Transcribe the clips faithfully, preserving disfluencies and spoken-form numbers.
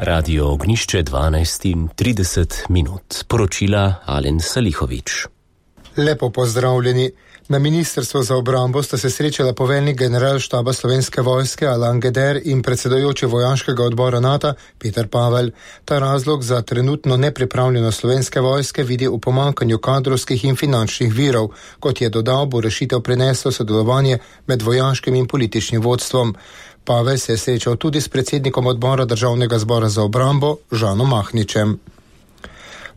Radio Ognišče dvanajst in trideset minut. Poročila Alen Salihovič. Lepo pozdravljeni. Na Ministrstvu za obrambo sta se srečala poveljnik generalštaba Slovenske vojske Alan Geder in predsedujoči vojaškega odbora NATO Peter Pavel. Ta razlog za trenutno nepripravljenost Slovenske vojske vidi v pomanjkanju kadrovskih in finančnih virov. Kot je dodal, bo rešitev prineslo sodelovanje med vojaškim in političnim vodstvom. Pavel se je srečal tudi s predsednikom odbora Državnega zbora za obrambo Žanom Mahničem.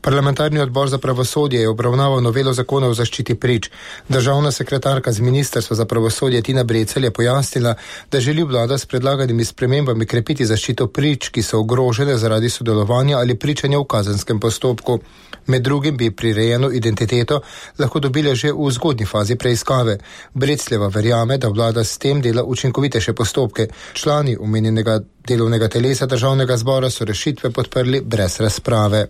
Parlamentarni odbor za pravosodje je obravnaval novelo zakona o zaščiti prič. Državna sekretarka z Ministrstva za pravosodje Tina Brecelj je pojasnila, da želi vlada s predlaganimi spremembami krepiti zaščito prič, ki so ogrožene zaradi sodelovanja ali pričanja v kazenskem postopku. Med drugim bi prirejeno identiteto lahko dobile že v zgodnji fazi preiskave. Brecljeva verjame, da vlada s tem dela učinkovitejše postopke. Člani omenjenega delovnega telesa Državnega zbora so rešitve podprli brez razprave.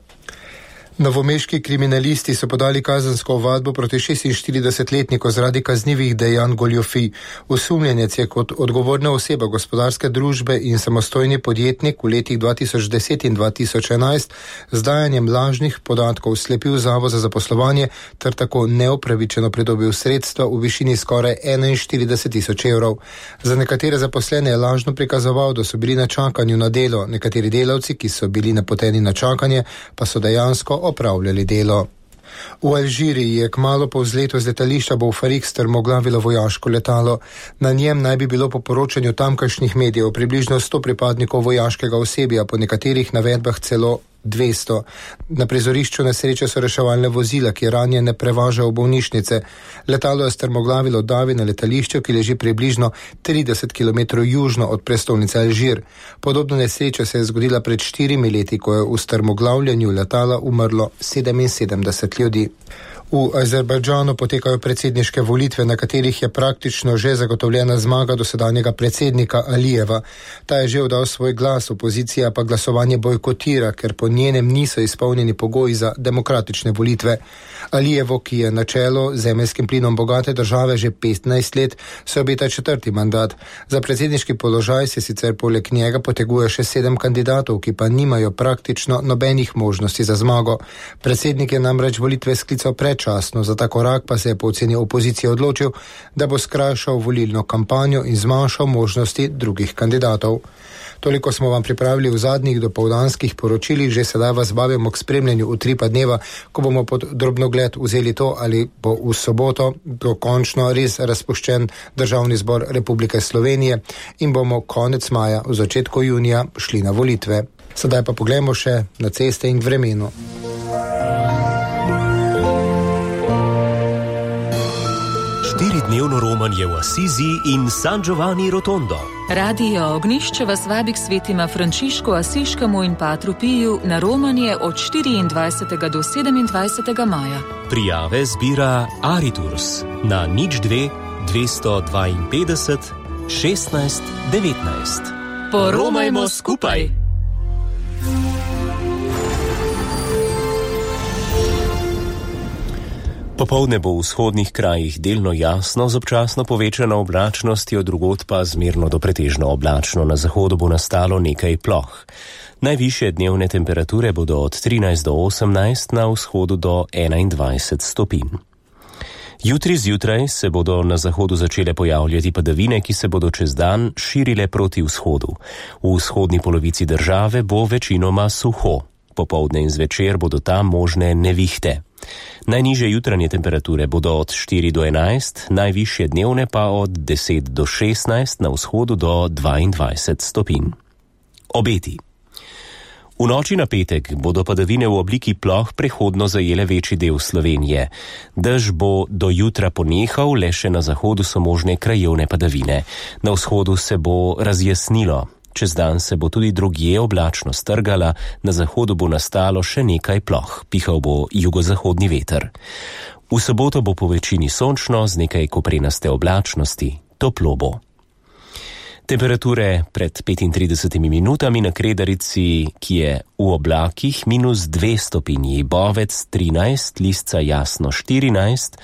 Novomeški kriminalisti so podali kazensko ovadbo proti šestinštiridesetletniku zaradi kaznivih dejanj goljufij. Osumljenec je kot odgovorna oseba gospodarske družbe in samostojni podjetnik v letih dva tisoč deset in dva tisoč enajst z dajanjem lažnih podatkov slepil Zavod za zaposlovanje ter tako neopravičeno pridobil sredstva v višini skoraj enainštirideset tisoč evrov. Za nekatere zaposlene je lažno prikazoval, da so bili na čakanju na delo, nekateri delavci, ki so bili napoteni na čakanje, pa so dejansko opravljali delo. V Alžiriji je kmalu po vzletu z letališča Boufarik strmoglavilo vojaško letalo. Na njem naj bi bilo po poročanju tamkajšnjih medijev približno sto pripadnikov vojaškega osebja, po nekaterih navedbah celo dvesto. Na prizorišču nesreče so reševalne vozila, ki ranjene prevažajo v bolnišnice. Letalo je strmoglavilo davi na letališču, ki leži približno trideset kilometrov južno od prestolnice Alžir. Podobna nesreča se je zgodila pred štirimi leti, ko je v strmoglavljanju letala umrlo sedeminsedemdeset ljudi. V Azerbajdžanu potekajo predsedniške volitve, na katerih je praktično že zagotovljena zmaga dosedanjega predsednika Alijeva. Ta je že oddal svoj glas, opozicija pa glasovanje bojkotira, ker po njenem niso izpolnjeni pogoji za demokratične volitve. Alijevo, ki je na čelo zemeljskim plinom bogate države že petnajst let, se obeta četrti mandat. Za predsedniški položaj se sicer poleg njega poteguje še sedem kandidatov, ki pa nimajo praktično nobenih možnosti za zmago. Predsednik je namreč volitve sklical predčasno, za ta korak pa se je po oceni opozicije odločil, da bo skrajšal volilno kampanjo in zmanjšal možnosti drugih kandidatov. Toliko smo vam pripravili v zadnjih dopoldanskih poročilih, že sedaj vas vabimo k spremljanju utripa dneva, ko bomo pod drobnogled vzeli to, ali bo v soboto dokončno res razpuščen Državni zbor Republike Slovenije in bomo konec maja, v začetku junija šli na volitve. Sedaj pa poglejmo še na ceste in vremenu. Štiridnevno romanje v Asizi in San Giovanni Rotondo. Radio Ognišče vas vabi k svetima Frančišku Asiškemu in Patru Piju na romanje od štiriindvajsetega do sedemindvajsetega maja. Prijave zbira Ariturs na nič dve dvesto dvainpetdeset šestnajst devetnajst. Poromajmo skupaj! Popoldne bo v vzhodnih krajih delno jasno z občasno povečano oblačnostjo, drugod pa zmerno do pretežno oblačno. Na zahodu bo nastalo nekaj ploh. Najvišje dnevne temperature bodo od trinajst do osemnajst, na vzhodu do enaindvajset stopinj. Jutri zjutraj se bodo na zahodu začele pojavljati padavine, ki se bodo čez dan širile proti vzhodu. V vzhodni polovici države bo večinoma suho. Popoldne in zvečer bodo tam možne nevihte. Najnižje jutranje temperature bodo od štiri do enajst, najvišje dnevne pa od deset do šestnajst, na vzhodu do dvaindvajset stopinj. Obeti. V noči na petek bodo padavine v obliki ploh prehodno zajele večji del Slovenije. Dež bo do jutra ponehal, le še na zahodu so možne krajevne padavine. Na vzhodu se bo razjasnilo. Čez dan se bo tudi drugje oblačno strgala, na zahodu bo nastalo še nekaj ploh, pihal bo jugozahodni veter. V soboto bo po večini sončno z nekaj koprenaste oblačnosti, toplo bo. Temperature pred petintridesetimi minutami na Kredarici, ki je v oblakih, minus dve stopinji, Bovec trinajst, Lisca jasno štirinajst,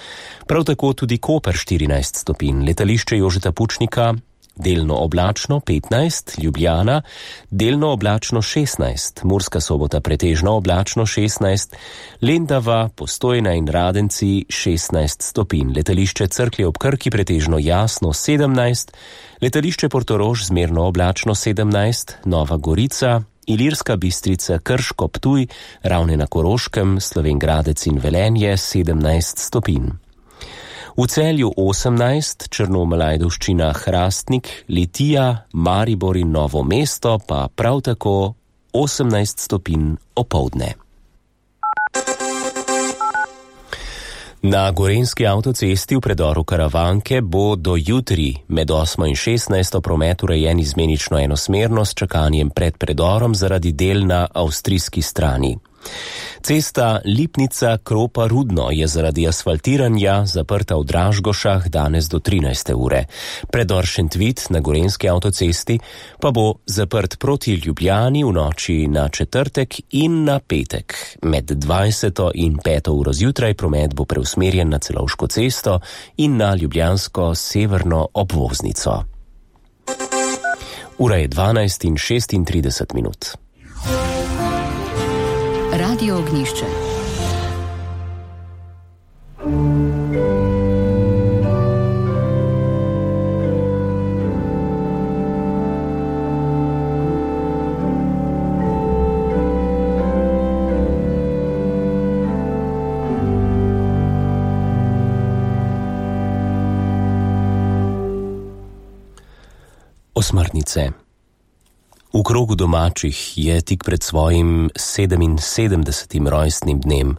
prav tako tudi Koper štirinajst stopinj, letališče Jožeta Pučnika delno oblačno petnajst, Ljubljana, delno oblačno šestnajst, Murska Sobota pretežno oblačno šestnajst, Lendava, Postojna in Radenci šestnajst stopinj, letališče Cerklje ob Krki pretežno jasno sedemnajst, letališče Portorož zmerno oblačno sedemnajst, Nova Gorica, Ilirska Bistrica, Krško, Ptuj, Ravne na Koroškem, Slovenj Gradec in Velenje sedemnajst stopinj. V Celju osemnajst, Črnomelj, Ajdovščina, Hrastnik, Litija, Maribor in Novo mesto pa prav tako osemnajst stopinj opoldne. Na gorenjski avtocesti v predoru Karavanke bo do jutri med osmo in šestnajsto promet urejen izmenično enosmerno s čakanjem pred predorom zaradi del na avstrijski strani. Cesta Lipnica-Kropa-Rudno je zaradi asfaltiranja zaprta v Dražgošah danes do trinajste ure. Predor Šentvid na gorenjski avtocesti pa bo zaprt proti Ljubljani v noči na četrtek in na petek. Med dvajseto in peto uro zjutraj promet bo preusmerjen na Celovško cesto in na ljubljansko severno obvoznico. Ura je dvanajst in šestintrideset minut. Radio Ognjišče. Osmrtnice. V krogu domačih je tik pred svojim sedeminsedemdesetim rojstnim dnem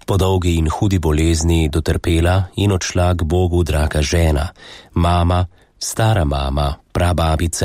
po dolgi in hudi bolezni dotrpela in odšla k Bogu draga žena, mama, stara mama, prababica